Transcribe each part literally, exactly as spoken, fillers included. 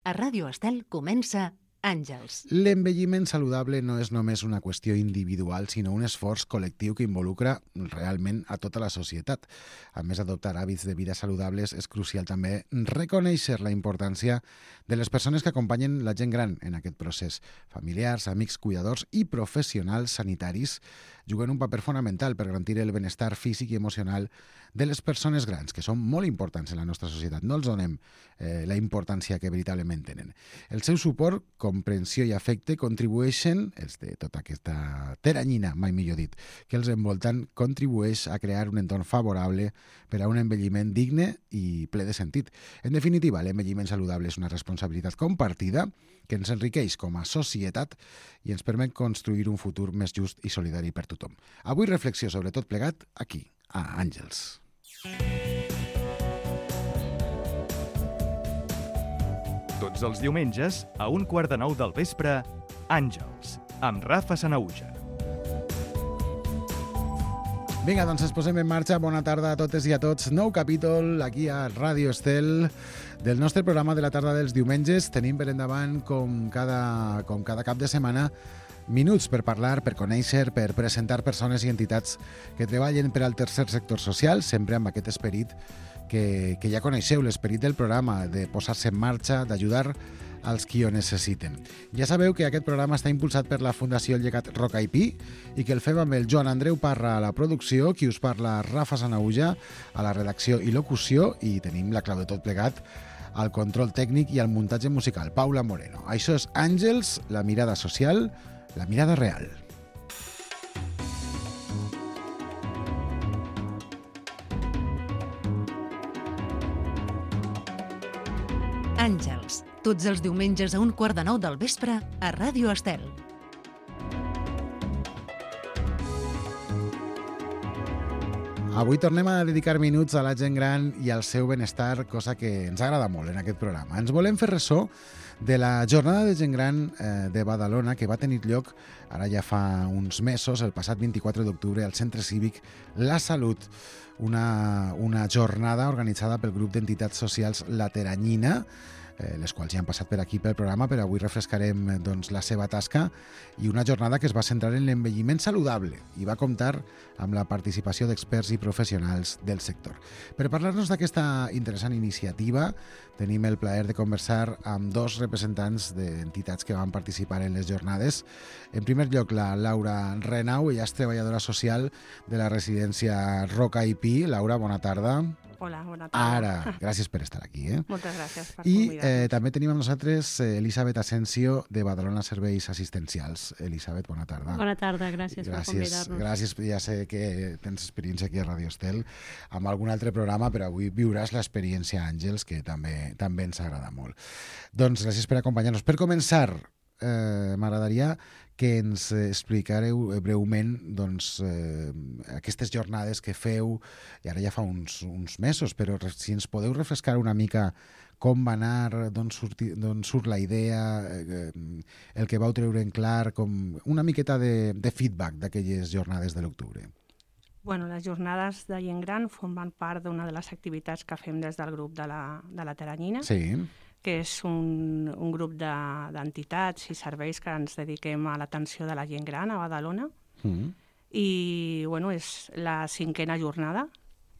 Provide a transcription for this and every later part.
A Ràdio Estel comença Àngels. L'envelliment saludable no és només una qüestió individual, sinó un esforç col·lectiu que involucra realment a tota la societat. A més, adoptar hàbits de vida saludables és crucial també reconèixer la importància de les persones que acompanyen la gent gran en aquest procés. Familiars, amics, cuidadors i professionals sanitaris juguen un paper fonamental per garantir el benestar físic i emocional de les persones grans, que són molt importants en la nostra societat. No els donem eh, la importància que veritablement tenen. El seu suport, comprensió i afecte contribueixen, els de tota aquesta teranyina, mai millor dit, que els envolten, contribueix a crear un entorn favorable per a un envelliment digne i ple de sentit. En definitiva, l'envelliment saludable és una responsabilitat compartida que ens enriqueix com a societat i ens permet construir un futur més just i solidari per tothom. Avui reflexió sobre tot plegat aquí, a Àngels. Tots els diumenges, a un quart de nou del vespre, Àngels, amb Rafa Sanaüja. Vinga, doncs ens posem en marxa. Bona tarda a totes i a tots. Nou capítol aquí a Ràdio Estel del nostre programa de la tarda dels diumenges. Tenim per endavant, com cada, com cada cap de setmana, minuts per parlar, per conèixer, per presentar persones i entitats que treballen per al tercer sector social, sempre amb aquest esperit que, que ja coneixeu, l'esperit del programa, de posar-se en marxa, d'ajudar als qui ho necessiten. Ja sabeu que aquest programa està impulsat per la Fundació Llegat Roca i Pi i que el fem amb el Joan Andreu Parra a la producció, qui us parla Rafa Sanaüja a la redacció i locució, i tenim la clau de tot plegat al control tècnic i al muntatge musical, Paula Moreno. Això és Àngels, la mirada social, la mirada real. Àngels, tots els diumenges a un quart de nou del vespre a Ràdio Estel. Avui tornem a dedicar minuts a la gent gran i al seu benestar, cosa que ens agrada molt en aquest programa. Ens volem fer ressò de la jornada de gent gran eh, de Badalona, que va tenir lloc ara ja fa uns mesos, el passat vint-i-quatre d'octubre, al Centre Cívic La Salut, una, una jornada organitzada pel grup d'entitats socials La Teranyina, eh, les quals ja han passat per aquí pel programa, però avui refrescarem doncs, la seva tasca, i una jornada que es va centrar en l'envelliment saludable i va comptar amb la participació d'experts i professionals del sector. Per parlar-nos d'aquesta interessant iniciativa, tenim el plaer de conversar amb dos representants d'entitats que van participar en les jornades. En primer lloc, la Laura Renau, ella és treballadora social de la residència Roca i Pi. Laura, bona tarda. Hola, bona tarda. Ara, gràcies per estar aquí. Eh? Moltes gràcies per I convidar-nos. eh, també tenim amb nosaltres eh, Elisabet Asensio, de Badalona Serveis Assistencials. Elisabet, bona tarda. Bona tarda, gràcies, gràcies per convidar-nos. Gràcies, ja sé que tens experiència aquí a Ràdio Estel amb algun altre programa, però avui viuràs l'experiència Àngels, que també, també ens agrada molt. Doncs gràcies per acompanyar-nos. Per començar, eh, m'agradaria que ens explicareu breument doncs, eh, aquestes jornades que feu, i ara ja fa uns, uns mesos, però si ens podeu refrescar una mica com va anar, d'on surt, d'on surt la idea, eh, el que vau treure en clar, com una miqueta de, de feedback d'aquelles jornades de l'octubre. Bueno, les jornades de gent gran formen part d'una de les activitats que fem des del grup de la, de la Teranyina, Sí. que és un, un grup de- d'entitats i serveis que ens dediquem a l'atenció de la gent gran a Badalona. Mm. I bueno, és la cinquena jornada.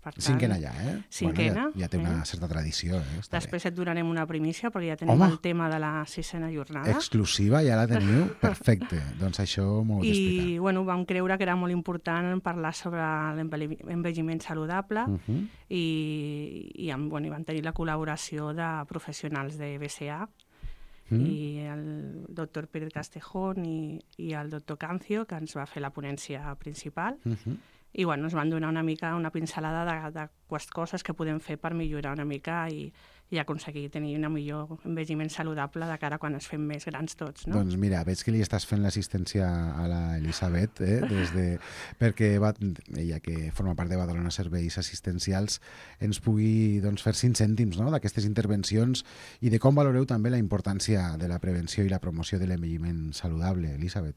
Per tant, Cinquena ja, eh? Cinquena. Bueno, ja, ja té una eh? certa tradició. Eh? Està Després et donarem una primícia, perquè ja tenim Home! el tema de la sisena bé. jornada. Exclusiva, ja la teniu? Perfecte. Doncs això m'ho heu I d'explicar. bueno, vam creure que era molt important parlar sobre l'envelliment saludable Uh -huh. i, i, amb, bueno, i vam tenir la col·laboració de professionals de B C A Mm. i el doctor Pérez Castejón i, i el doctor Cancio, que ens va fer la ponència principal. Uh -huh. I bueno, ens van donar una mica una pincelada de, de quest coses que podem fer per millorar una mica i, i aconseguir tenir un millor envelliment saludable de cara a quan ens fem més grans tots, no? Doncs mira, veig que li estàs fent l'assistència a la Elisabet, eh? Des de, perquè va, ella, que forma part de Badalona Serveis Assistencials, ens pugui doncs, fer cinc cèntims, no?, d'aquestes intervencions i de com valoreu també la importància de la prevenció i la promoció de l'envelliment saludable, Elisabet.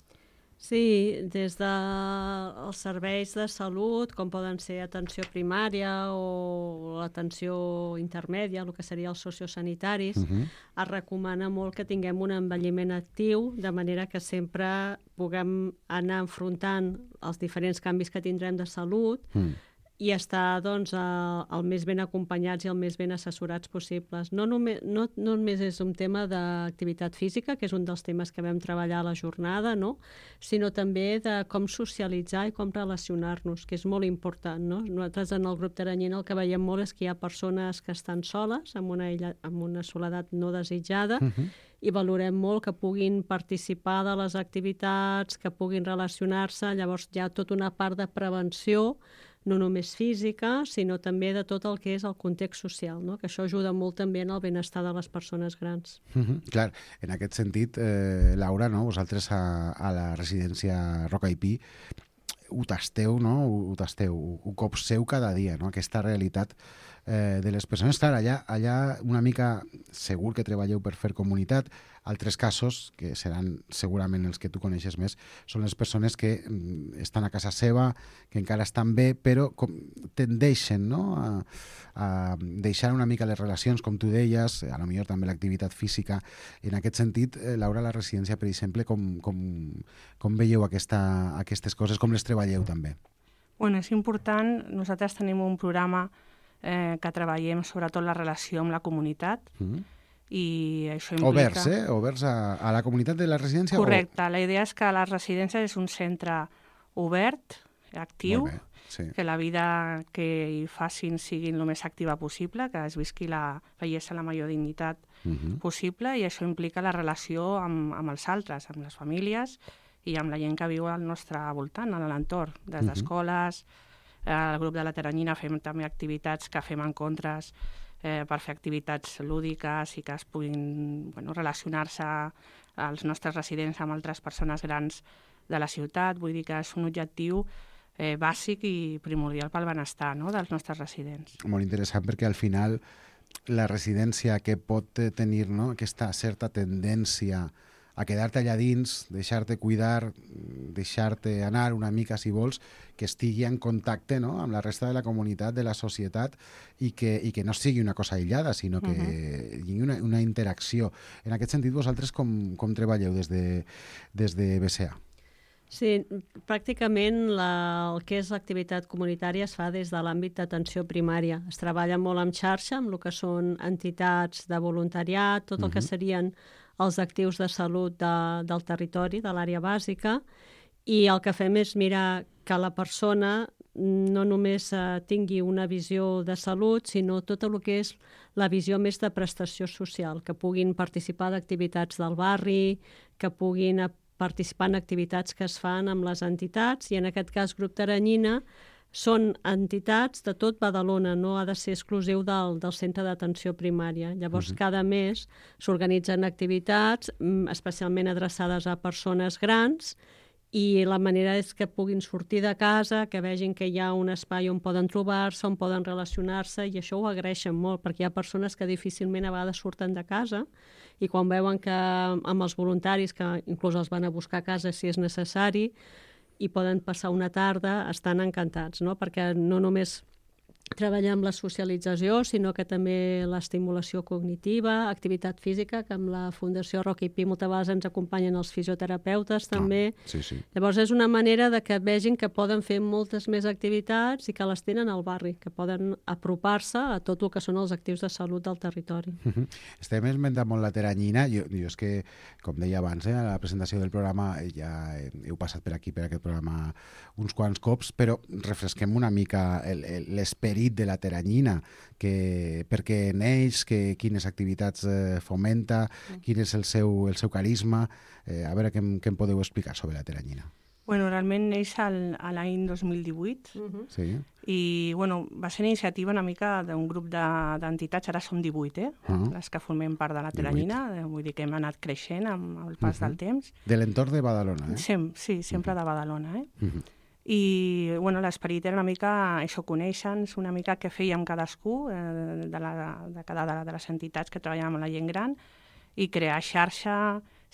Sí, des dels serveis de salut, com poden ser atenció primària o l'atenció intermèdia, el que seria els sociosanitaris, uh-huh. es recomana molt que tinguem un envelliment actiu, de manera que sempre puguem anar enfrontant els diferents canvis que tindrem de salut uh-huh. i estar doncs, el, el més ben acompanyats i el més ben assessorats possibles. No només, no, no només és un tema d'activitat física, que és un dels temes que vam treballar a la jornada, no? Sinó també de com socialitzar i com relacionar-nos, que és molt important. No? Nosaltres en el grup Teranyina el que veiem molt és que hi ha persones que estan soles, amb una, illa, amb una soledat no desitjada, uh-huh. i valorem molt que puguin participar de les activitats, que puguin relacionar-se. Llavors hi ha tota una part de prevenció, no només física, sinó també de tot el que és el context social, no? Que això ajuda molt també en el benestar de les persones grans. Mm-hmm. Clar, en aquest sentit, eh, Laura, no? Vosaltres a, a la residència Roca i Pi ho tasteu, no? Ho, ho tasteu, ho, ho copseu cada dia, no? Aquesta realitat eh, de les persones. Clar, allà, allà una mica segur que treballeu per fer comunitat. Altres casos, que seran segurament els que tu coneixes més, són les persones que mm, estan a casa seva, que encara estan bé, però com, tendeixen, no? a, a deixar una mica les relacions, com tu deies, a lo millor també l'activitat física. En aquest sentit, eh, Laura, a la residència, per exemple, com, com, com veieu aquesta, aquestes coses, com les treballeu també? Bueno, és important. Nosaltres tenim un programa eh, que treballem sobretot la relació amb la comunitat, mm-hmm. i això implica... Oberts, eh? Oberts a, a la comunitat de la residència? Correcte. O... La idea és que la residència és un centre obert, actiu, bé, sí. que la vida que hi facin sigui el més activa possible, que es visqui la bellesa, la major dignitat uh-huh. possible, i això implica la relació amb, amb els altres, amb les famílies i amb la gent que viu al nostre voltant, a l'entorn, des uh-huh. d'escoles, al grup de la Teranyina fem també activitats que fem encontres Eh, per fer activitats lúdiques i que es puguin bueno, relacionar-se als nostres residents amb altres persones grans de la ciutat. Vull dir que és un objectiu eh, bàsic i primordial pel benestar, no?, dels nostres residents. Molt interessant, perquè al final la residència que pot tenir, no?, aquesta certa tendència a quedar-te allà dins, deixar-te cuidar, deixar-te anar una mica, si vols, que estigui en contacte, no?, amb la resta de la comunitat, de la societat, i que, i que no sigui una cosa aïllada, sinó que uh-huh. hi hagi una, una interacció. En aquest sentit, vosaltres com, com treballeu des de, des de B C A? Sí, pràcticament la, el que és l'activitat comunitària es fa des de l'àmbit d'atenció primària. Es treballa molt en xarxa, amb el que són entitats de voluntariat, tot el uh-huh. que serien els actius de salut de, del territori, de l'àrea bàsica, i el que fem és mirar que la persona no només eh, tingui una visió de salut, sinó tot el que és la visió més de prestació social, que puguin participar d'activitats del barri, que puguin participar en activitats que es fan amb les entitats, i en aquest cas Grup Teranyina són entitats de tot Badalona, no ha de ser exclusiu del, del centre d'atenció primària. Llavors, uh-huh. cada mes s'organitzen activitats especialment adreçades a persones grans, i la manera és que puguin sortir de casa, que vegin que hi ha un espai on poden trobar-se, on poden relacionar-se, i això ho agraeixen molt, perquè hi ha persones que difícilment a vegades surten de casa, i quan veuen que amb els voluntaris, que inclús els van a buscar a casa si és necessari, i poden passar una tarda, estan encantats, no? Perquè no només treballem la socialització, sinó que també l'estimulació cognitiva, activitat física, que amb la Fundació Roca i Pi moltes vegades ens acompanyen els fisioterapeutes també. Ah, sí, sí. Llavors és una manera de que vegin que poden fer moltes més activitats i que les tenen al barri, que poden apropar-se a tot el que són els actius de salut del territori. Uh-huh. Estem esmentant molt la Teranyina. Jo, jo és que, com deia abans, eh, a la presentació del programa ja heu passat per aquí, per aquest programa, uns quants cops, però refresquem una mica l'esperit de la Teranyina, que, per què neix, que, quines activitats eh, fomenta, quin és el seu, el seu carisma. Eh, a veure què, què em podeu explicar sobre la Teranyina. Bueno, realment neix al, a l'any dos mil divuit uh-huh. sí. i bueno, va ser iniciativa una mica d'un grup d'entitats, de, ara som divuit, eh? Uh-huh. les que formem part de la Teranyina, vull dir que hem anat creixent amb el pas uh-huh. del temps. De l'entorn de Badalona, eh? Sem, sí, sempre uh-huh. de Badalona, eh? Uh-huh. I bueno, l'esperit era una mica això, conèixer-nos una mica què fèiem cadascú eh, de, la, de cada de, de les entitats que treballàvem amb la gent gran, i crear xarxa,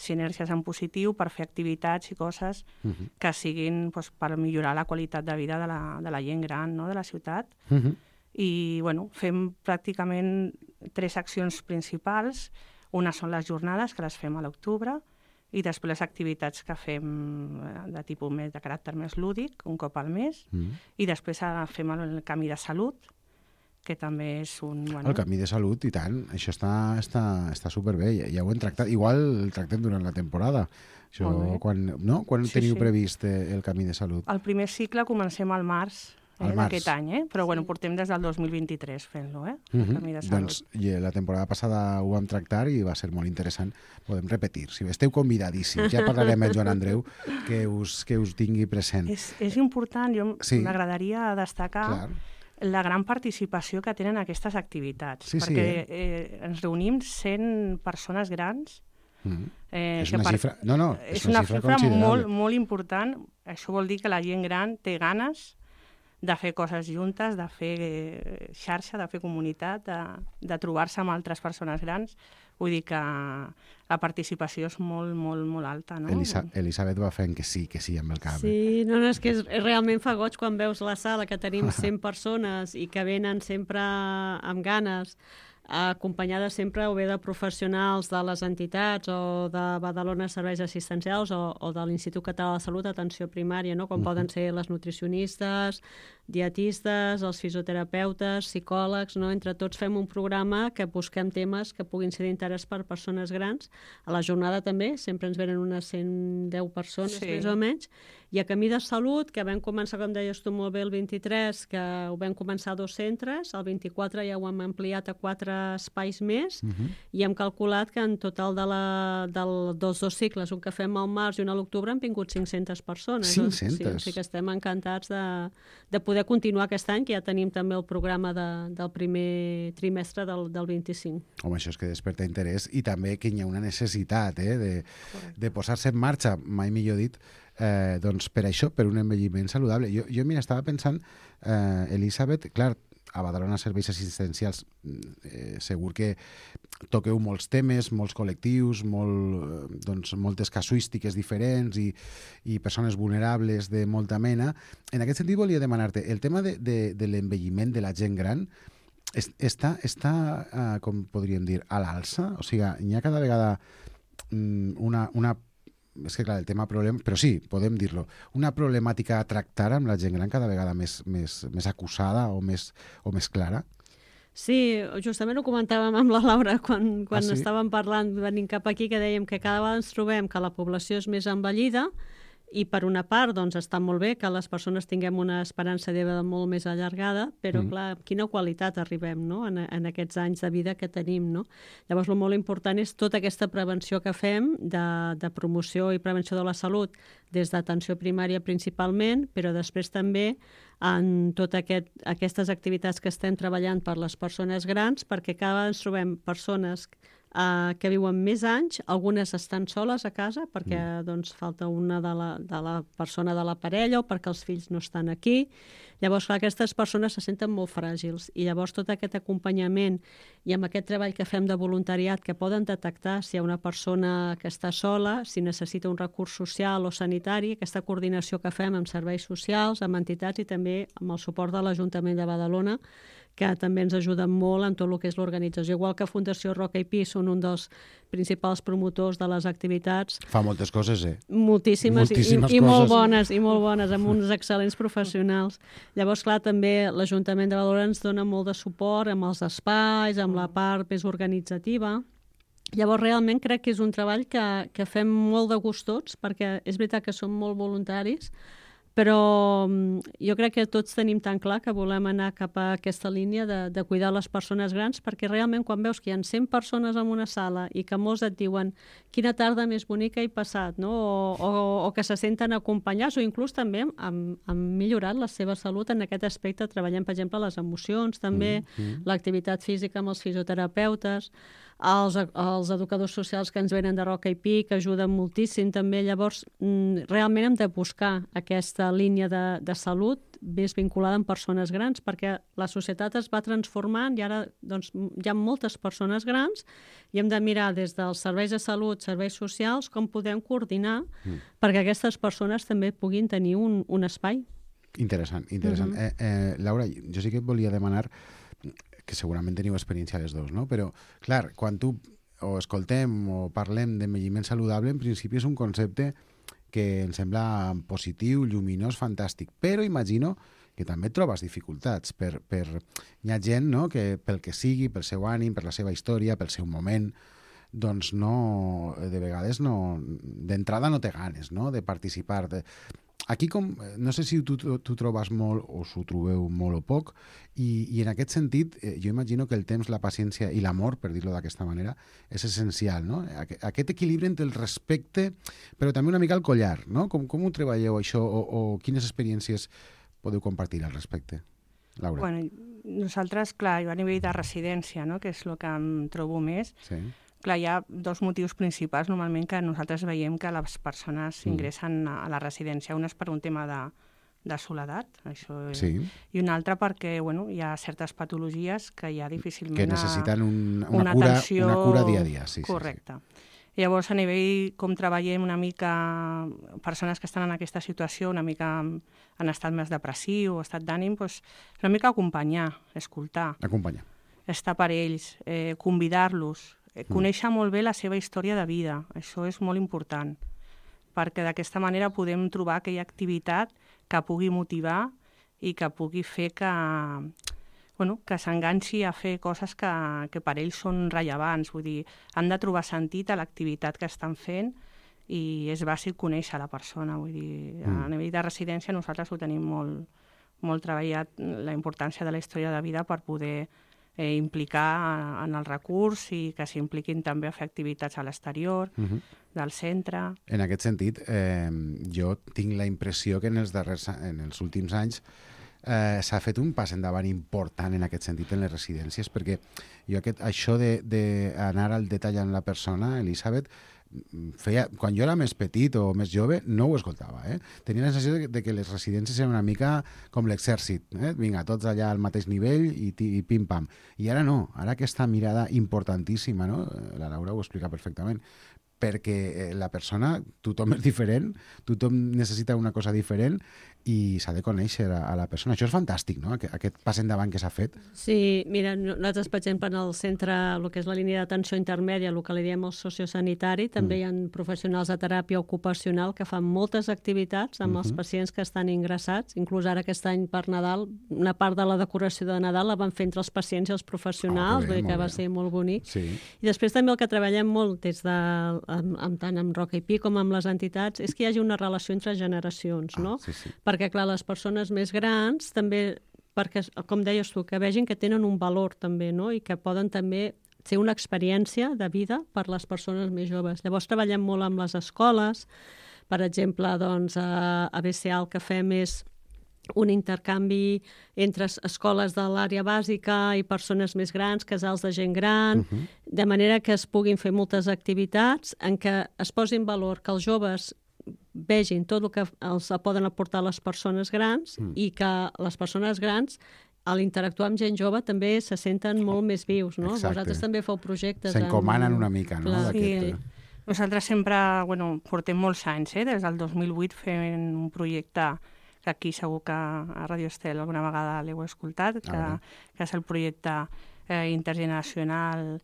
sinergies en positiu per fer activitats i coses uh-huh. que siguin doncs, per millorar la qualitat de vida de la, de la gent gran, no?, de la ciutat. Uh-huh. I bueno, fem pràcticament tres accions principals. Una són les jornades, que les fem a l'octubre, i després les activitats que fem de tipus més de caràcter més lúdic, un cop al mes, mm. i després fem el camí de salut, que també és un... Bueno... El camí de salut, i tant, això està, està, està superbé, ja, ja ho hem tractat. Igual el tractem durant la temporada. Això, quan, no? Quan sí, teniu sí. previst el camí de salut? El primer cicle comencem al març, Eh, d'aquest any, eh? Però bueno, portem des del dos mil vint-i-tres fent-lo, eh? Uh -huh. Camí de salut. Doncs la temporada passada ho vam tractar i va ser molt interessant. Podem repetir. Si esteu convidadíssims, ja parlarem amb Joan Andreu que us, que us tingui present. És, és important, jo sí. m'agradaria destacar Clar. la gran participació que tenen aquestes activitats, sí, perquè sí, eh? Eh, ens reunim cent persones grans. Mm. Eh, és una per... xifra, no, no, és, és una, una xifra, xifra considerable. molt, molt important. Això vol dir que la gent gran té ganes de fer coses juntes, de fer xarxa, de fer comunitat, de, de trobar-se amb altres persones grans. Vull dir que la participació és molt, molt, molt alta, no? Elisa, Elisabet va fent que sí, que sí amb el cap. Sí, no, no, és que és, realment fa goig quan veus la sala, que tenim cent persones i que venen sempre amb ganes, acompanyades sempre o bé de professionals de les entitats o de Badalona Serveis Assistencials o, o de l'Institut Català de Salut, atenció primària, no? Com uh-huh. poden ser les nutricionistes, dietistes, els fisioterapeutes, psicòlegs, no? Entre tots fem un programa que busquem temes que puguin ser d'interès per persones grans. A la jornada també, sempre ens venen unes cent deu persones, sí. més o menys, i a Camí de Salut, que vam començar, com deies tu molt bé, el vint-i-tres, que ho vam començar a dos centres, el vint-i-quatre ja ho hem ampliat a quatre espais més, uh-huh. i hem calculat que en total de la, del, dels dos cicles, un que fem al març i un a l'octubre, han vingut cinc-centes persones. cinc-centes? Sí, o sigui que estem encantats de, de poder continuar aquest any, que ja tenim també el programa de, del primer trimestre del, del vint-i-cinc. Home, això és que desperta interès i també que hi ha una necessitat eh, de, de posar-se en marxa, mai millor dit, Eh, doncs per això, per un envelliment saludable. Jo, jo mira, estava pensant, eh, Elisabet, clar, a Badalona Serveis Assistencials eh, segur que toqueu molts temes, molts col·lectius, molt, doncs, moltes casuístiques diferents i, i persones vulnerables de molta mena. En aquest sentit volia demanar-te, el tema de, de, de l'envelliment de la gent gran és, està, està eh, com podríem dir, a l'alça? O sigui, hi ha cada vegada mm, una, una és que clar, el tema problema, però sí, podem dir-lo, una problemàtica a tractar amb la gent gran cada vegada més, més, més acusada o més, o més clara? Sí, justament ho comentàvem amb la Laura quan, quan ah, sí? estàvem parlant, venint cap aquí, que dèiem que cada vegada ens trobem que la població és més envellida i per una part doncs, està molt bé que les persones tinguem una esperança de vida molt més allargada, però mm. clar, amb quina qualitat arribem no? en, en aquests anys de vida que tenim. No? Llavors, el molt important és tota aquesta prevenció que fem de, de promoció i prevenció de la salut des d'atenció primària principalment, però després també en totes aquest, aquestes activitats que estem treballant per les persones grans, perquè cada vegada ens trobem persones Uh, que viuen més anys, algunes estan soles a casa perquè mm. doncs, falta una de la, de la persona de la parella o perquè els fills no estan aquí. Llavors, clar, aquestes persones se senten molt fràgils i llavors tot aquest acompanyament i amb aquest treball que fem de voluntariat que poden detectar si hi ha una persona que està sola, si necessita un recurs social o sanitari, aquesta coordinació que fem amb serveis socials, amb entitats i també amb el suport de l'Ajuntament de Badalona, que també ens ajuden molt en tot el que és l'organització. Igual que Fundació Roca i Pi són un dels principals promotors de les activitats. Fa moltes coses, eh? Moltíssimes, Moltíssimes i, i, coses. i molt bones, i molt bones, amb uns excel·lents professionals. Llavors, clar, també l'Ajuntament de Badalona ens dona molt de suport amb els espais, amb la part més organitzativa. Llavors, realment crec que és un treball que, que fem molt de gust tots, perquè és veritat que som molt voluntaris, però jo crec que tots tenim tan clar que volem anar cap a aquesta línia de, de cuidar les persones grans, perquè realment quan veus que hi ha cent persones en una sala i que molts et diuen quina tarda més bonica he passat, no? o, o, o que se senten acompanyats, o inclús també han, han millorat la seva salut en aquest aspecte, treballant, per exemple, les emocions, també, mm-hmm. l'activitat física amb els fisioterapeutes, els, els educadors socials que ens venen de Roca i Pi, que ajuden moltíssim també. Llavors, realment hem de buscar aquesta línia de, de salut més vinculada amb persones grans, perquè la societat es va transformant i ara doncs, hi ha moltes persones grans i hem de mirar des dels serveis de salut, serveis socials, com podem coordinar mm. perquè aquestes persones també puguin tenir un, un espai. Interessant, interessant. Mm-hmm. eh, eh, Laura, jo sí que et volia demanar, que segurament teniu experiència les dos, no? Però, clar, quan tu o escoltem o parlem d'envelliment saludable, en principi és un concepte que em sembla positiu, lluminós, fantàstic, però imagino que també trobes dificultats per, per... Hi ha gent, no?, que pel que sigui, pel seu ànim, per la seva història, pel seu moment, doncs no, de vegades no, d'entrada no té ganes, no?, de participar. De... Aquí, com, no sé si tu, tu trobes molt o s'ho trobeu molt o poc, i, i en aquest sentit eh, jo imagino que el temps, la paciència i l'amor, per dir-ho d'aquesta manera, és essencial, no? Aquest equilibri entre el respecte, però també una mica el collar, no? Com, com ho treballeu això o, o quines experiències podeu compartir al respecte? Laura. Bueno, nosaltres, clar, a nivell de residència, no?, que és el que em trobo més, sí. Clar, hi ha dos motius principals normalment que nosaltres veiem que les persones ingressen a la residència. Un és per un tema de, de soledat, això, sí. I un altre perquè bueno, hi ha certes patologies que ja difícilment... Que necessiten un, una, una, cura, atenció... una cura dia a dia. Sí, correcte. Sí, sí. Llavors, a nivell com treballem una mica persones que estan en aquesta situació, una mica en estat més depressiu o estat d'ànim, doncs, una mica acompanyar, escoltar. Acompanyar. Estar per ells, eh, convidar-los, conèixer molt bé la seva història de vida, això és molt important, perquè d'aquesta manera podem trobar aquella activitat que pugui motivar i que pugui fer que, bueno, que s'enganxi a fer coses que, que per ells són rellevants, vull dir, han de trobar sentit a l'activitat que estan fent i és bàsic conèixer la persona, vull dir, a nivell de residència nosaltres ho tenim molt, molt treballat, la importància de la història de vida per poder Eh, implicar en el recurs i que s'impliquin també a fer activitats a l'exterior, uh-huh. del centre. En aquest sentit, eh, jo tinc la impressió que en els, darrers, en els últims anys eh, s'ha fet un pas endavant important en aquest sentit en les residències, perquè jo aquest, això d'anar al detall en la persona, Elisabet, feia, quan jo era més petit o més jove, no ho escoltava. Eh? Tenia la sensació de, de que les residències eren una mica com l'exèrcit. Eh? Vinga, tots allà al mateix nivell i, i pim-pam. I ara no, ara aquesta mirada importantíssima, no? La Laura ho explica perfectament, perquè la persona, tothom és diferent, tothom necessita una cosa diferent i s'ha de conèixer a, a la persona. Això és fantàstic, no?, Aquest, aquest pas endavant que s'ha fet. Sí, mira, nosaltres, per exemple, en el centre, el que és la línia d'atenció intermèdia, el que li diem el sociosanitari, també mm. hi ha professionals de teràpia ocupacional que fan moltes activitats amb mm-hmm. els pacients que estan ingressats. Inclús ara aquest any per Nadal, una part de la decoració de Nadal la van fer entre els pacients i els professionals, oh, que, bé, que va bé. ser molt bonic. Sí. I després també el que treballem molt des de, amb, amb, tant amb Roca i Pi com amb les entitats, és que hi hagi una relació entre generacions, no? Ah, sí, sí. Perquè, clar, les persones més grans també, perquè, com deies tu, que vegin que tenen un valor també, no?, i que poden també ser una experiència de vida per les persones més joves. Llavors treballem molt amb les escoles, per exemple, doncs, a, a B C A el que fem és un intercanvi entre escoles de l'àrea bàsica i persones més grans, casals de gent gran, uh-huh. de manera que es puguin fer moltes activitats en què es posi en valor que els joves vegin tot el que els poden aportar les persones grans mm. i que les persones grans, a l'interactuar amb gent jove, també se senten molt més vius, no? Exacte. Vosaltres també feu projectes. S'encomanen amb... una mica, no? Sí. Nosaltres sempre, bueno, portem molts anys, eh? Des del dos mil vuit fent un projecte que aquí segur que a Radio Estel alguna vegada l'heu escoltat, que, que és el projecte eh, intergeneracional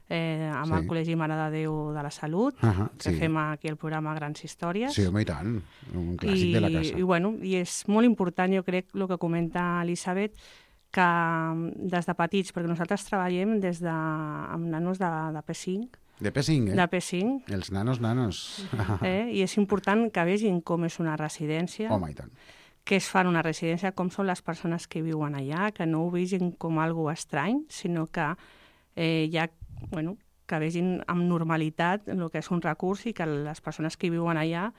Eh, amb sí. el Col·legi Mare de Déu de la Salut, uh-huh, que sí. fem aquí el programa Grans Històries. Sí, home, i tant, un clàssic I, de la casa. I, bueno, I és molt important, jo crec, el que comenta Elisabet, que des de petits, perquè nosaltres treballem des de, amb nanos de, de P cinc. De P cinc, eh? De P cinc. Els nanos, nanos. Eh? I és important que vegin com és una residència. Home, i tant. Què es fa en una residència, com són les persones que viuen allà, que no ho vegin com algo estrany, sinó que eh, hi ha bueno, que vegin amb normalitat el que és un recurs i que les persones que viuen allà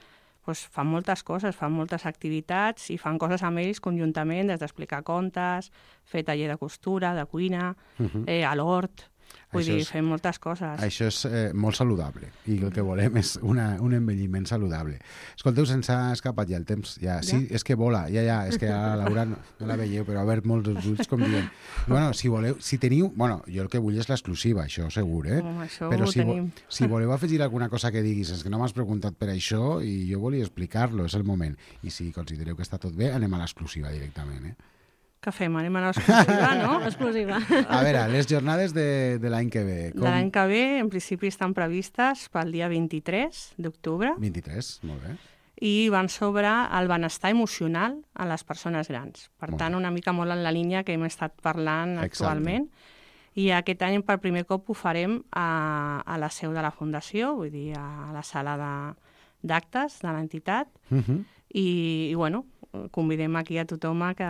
pues, fan moltes coses, fan moltes activitats i fan coses amb ells conjuntament, des d'explicar contes, fer taller de costura, de cuina, uh-huh. eh, a l'hort. Vull Això dir, és- fem moltes coses. Això és eh, molt saludable i el que volem és una, un envelliment saludable. Escolteu, se'ns ha escapat ja el temps. Ja, sí, és que vola, ja, ja, és que ara la Laura no, no la veieu, però ha obert molts els ulls com dient. Bueno, si voleu, si teniu... Bueno, jo el que vull és l'exclusiva, això segur, eh? Home, això però ho si, tenim. si voleu afegir alguna cosa que diguis, és que no m'has preguntat per això i jo volia explicar-lo, és el moment. I si considereu que està tot bé, anem a l'exclusiva directament, eh? Què fem? Anem a l'exclusiva, no? Exclusiva. A veure, les jornades de, de l'any que ve. De l'any que ve, en principi, estan previstes pel dia vint-i-tres d'octubre vint-i-tres, molt bé. i van sobre el benestar emocional a les persones grans. Per Molt tant, bé. una mica molt en la línia que hem estat parlant Exacte. actualment. I aquest any, per primer cop, ho farem a, a la seu de la Fundació, vull dir, a la sala de- d'actes de l'entitat. Uh -huh. I, i, bueno, convidem aquí a tothom a que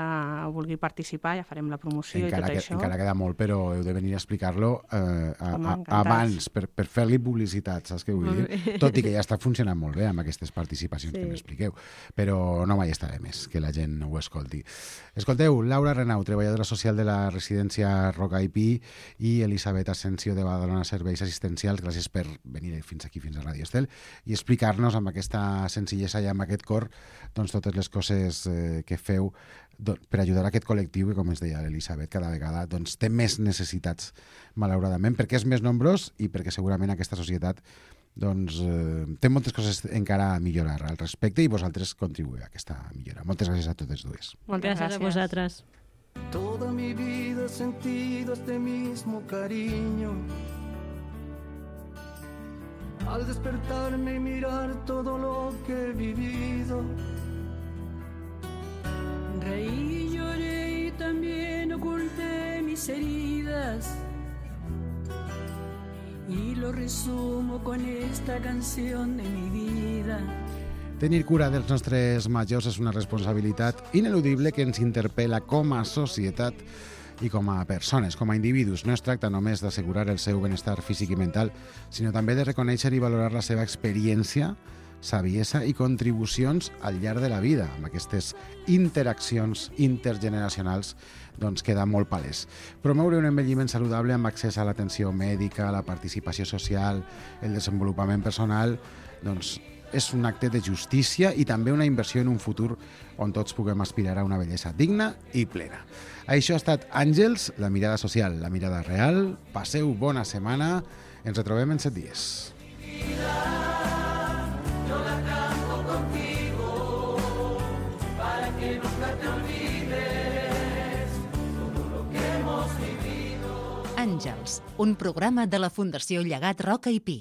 vulgui participar, ja farem la promoció Encara, i tot que, això. encara queda molt, però heu de venir a explicar-lo eh, a, Home, a, encantats. abans, per, per fer-li publicitat, saps què vull Molt dir? bé. Tot i que ja està funcionant molt bé amb aquestes participacions Sí. que m'expliqueu, però no mai estarà de més que la gent ho escolti. Escolteu, Laura Renau, treballadora social de la residència Roca i Pi, i Elisabet Asensio de Badalona Serveis Assistencials, gràcies per venir fins aquí, fins a Ràdio Estel, i explicar-nos amb aquesta senzillesa i amb aquest cor doncs, totes les coses eh, que feu do- per ajudar a aquest col·lectiu que, com es deia l'Elisabet, cada vegada doncs, té més necessitats, malauradament, perquè és més nombrós i perquè segurament aquesta societat doncs, eh, té moltes coses encara a millorar al respecte i vosaltres contribuïu a aquesta millora. Moltes gràcies a totes dues. Moltes Gràcies a vosaltres. Toda mi vida he sentido este mismo cariño. Al despertarme y mirar todo lo que he vivido. Reí, lloré y también oculté mis heridas. Y lo resumo con esta canción de mi vida. Tenir cura dels nostres majors és una responsabilitat ineludible que ens interpel·la com a societat i com a persones, com a individus. No es tracta només d'assegurar el seu benestar físic i mental, sinó també de reconèixer i valorar la seva experiència, saviesa i contribucions al llarg de la vida. Amb aquestes interaccions intergeneracionals doncs queda molt palès. Promoure un envelliment saludable amb accés a l'atenció mèdica, la participació social, el desenvolupament personal, doncs és un acte de justícia i també una inversió en un futur on tots puguem aspirar a una bellesa digna i plena. Això ha estat Àngels, la mirada social, la mirada real. Passeu bona setmana. Ens retrobem en set dies. Àngels, un programa de la Fundació Llegat Roca i Pi.